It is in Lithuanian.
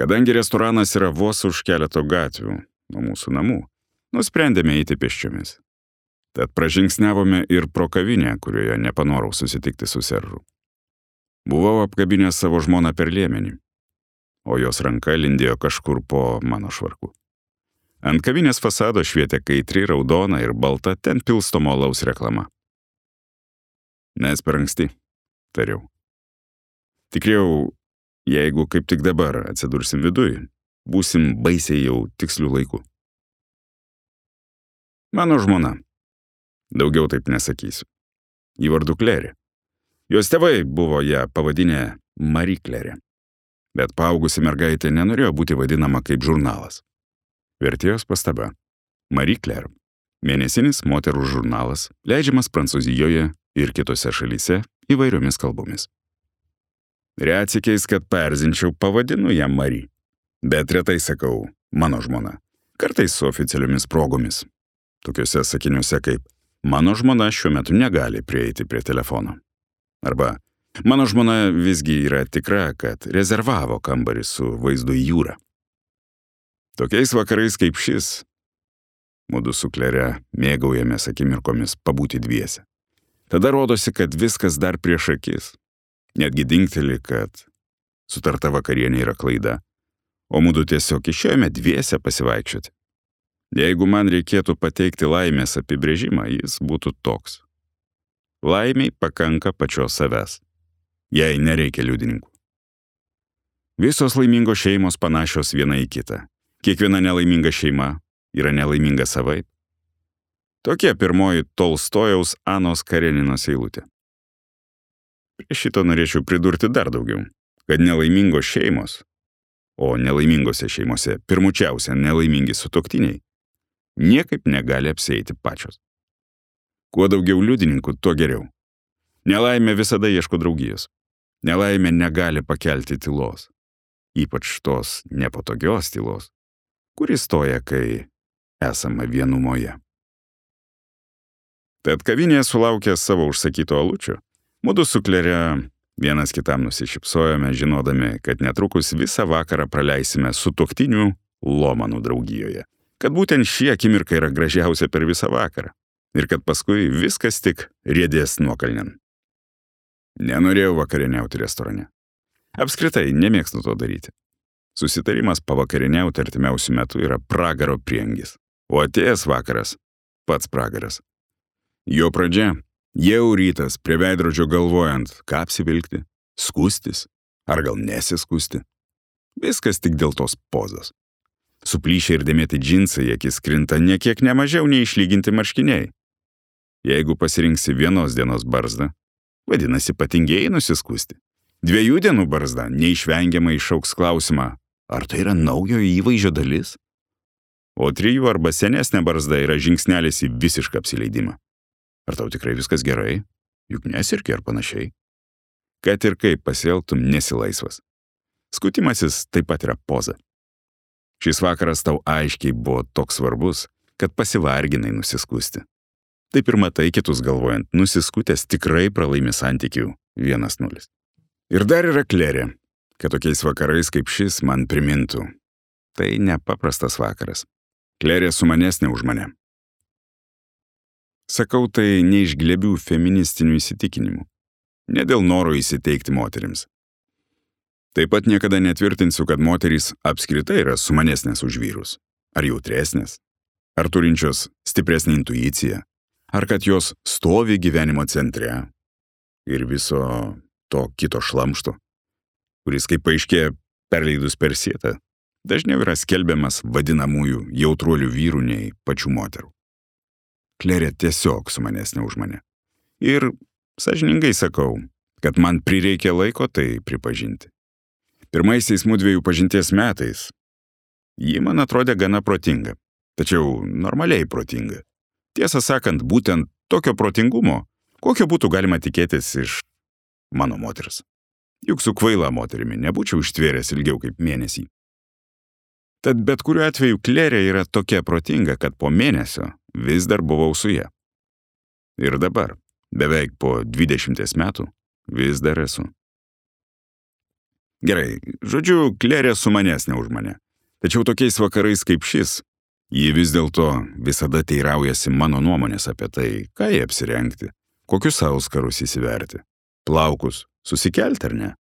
Kadangi restoranas yra vos už keleto gatvių nuo mūsų namų, nusprendėme eiti pėsčiomis. Tad pražingsniavome ir pro kavinę, kurioje nepanorau susitikti su Seržu. Buvau apkabinęs savo žmoną per liemenį, o jos ranka lindėjo kažkur po mano švarku. Ant kavinės fasado švietė kaitri, raudona ir balta ten pilstomo alaus reklama. Mes per anksti, tariau. Tikriau, jeigu kaip tik dabar atsidursim viduj, būsim baisiai jau tikslių laikų. Mano žmona. Daugiau taip nesakysiu. Į vardu Klerė. Jos tėvai buvo ją pavadinę Marie Klerė. Bet paaugusi mergaitė nenorėjo būti vadinama kaip žurnalas. Vertėjos pastaba. Marie Claire. Mėnesinis moterų žurnalas, leidžiamas Prancūzijoje ir kitose šalyse įvairiomis kalbomis. Retsykiais, kad paerzinčiau, pavadinu ją Marie. Bet retai sakau mano žmona. Kartais su oficialiomis progomis. Tokiuose sakiniuose kaip mano žmona šiuo metu negali prieiti prie telefono. Arba mano žmona visgi yra tikra, kad rezervavo kambarį su vaizdu į jūrą. Tokiais vakarais kaip šis, mudu su Klere mėgaujamės akimirkomis pabūti dviese. Tada rodosi, kad viskas dar prieš akis. Netgi dingteli, kad sutarta vakarienė yra klaida, o mudu tiesiog išėjome dviese pasivaikščioti. Jeigu man reikėtų pateikti laimės apibrėžimą, jis būtų toks. Laimiai pakanka pačios savęs. Jai nereikia liudininkų. Visos laimingos šeimos panašios viena į kitą. Kiekviena nelaiminga šeima yra nelaiminga savaip. Tokia pirmoji Tolstojaus Anos Kareninos eilutė. Prie šito norėčiau pridurti dar daugiau, kad nelaimingos šeimos, o nelaimingose šeimose pirmučiausia nelaimingi sutuoktiniai, niekaip negali apsieiti pačios. Kuo daugiau liudininkų, tuo geriau. Nelaimė visada ieško draugijos. Nelaimė negali pakelti tylos. Ypač tos nepatogios tylos, kuri stoja, kai esama vienumoje. Tad kavinėje sulaukė savo užsakyto alučio. Mudu su Klere vienas kitam nusišypsojome, žinodami, kad netrukus visą vakarą praleisime sutuoktinių Lomanų draugijoje. Kad būtent ši akimirka yra gražiausia per visą vakarą ir kad paskui viskas tik riedės nuokalnen. Nenorėjau vakarieniauti restorane. Apskritai, nemėgstu to daryti. Susitarimas pavakarieniauti artimiausių metų yra pragaro priengis, o atėjęs vakaras pats pragaras. Jo pradžia jau rytas prie veidrodžio galvojant, ką apsivilkti, skustis ar gal nesiskusti. Viskas tik dėl tos pozos. Suplyšę ir dėmėti džinsai akis krinta niekiek nemažiau nei išlyginti marškiniai. Jeigu pasirinksi vienos dienos barzdą, vadinasi patingėjai nusiskusti. 2 dienų barzda neišvengiamai išauks klausimą, ar tai yra naujojo įvaizdžio dalis? O 3 arba senesnė barzda yra žingsnelis į visišką apsileidimą. Ar tau tikrai viskas gerai? Juk nesirki ar panašiai. Kad ir kaip pasielgtum, nesi laisvas. Skutimasis taip pat yra poza. Šis vakaras tau aiškiai buvo toks svarbus, kad pasivarginai nusiskusti. Taip ir matai kitus galvojant, nusiskutęs tikrai pralaimi santykių 1-0. Ir dar yra Klerė, kad tokiais vakarais kaip šis man primintų. Tai nepaprastas vakaras. Klerė sumanesnė už mane. Sakau tai ne iš glebių feministinių įsitikinimų. Ne dėl noro įsiteikti moterims. Taip pat niekada netvirtinsiu, kad moterys apskritai yra sumanesnės už vyrus. Ar jautresnės, ar turinčios stipresnį intuiciją, ar kad jos stovi gyvenimo centre ir viso to kito šlamšto, kuris, kaip paaiškėja, perleidus per sietą, dažniau yra skelbiamas vadinamųjų jautruolių vyrų nei pačių moterų. Klerė tiesiog sumanesnė už mane. Ir sąžiningai sakau, kad man prireikė laiko tai pripažinti. Pirmaisiais mudviejų pažinties metais ji man atrodė gana protinga, tačiau normaliai protinga. Tiesą sakant, būtent tokio protingumo, kokio būtų galima tikėtis iš mano moters. Juk su kvaila moterimi nebūčiau ištvėręs ilgiau kaip mėnesį. Tad bet kuriuo atveju Klerė yra tokia protinga, kad po mėnesio vis dar buvau su ja. Ir dabar, beveik po 20 metų, vis dar esu. Gerai, žodžiu, Klerė sumanesnė už mane. Tačiau tokiais vakarais kaip šis, ji vis dėlto visada teiraujasi mano nuomonės apie tai, ką jie apsirengti, kokius auskarus įsiverti, plaukus susikelti ar ne.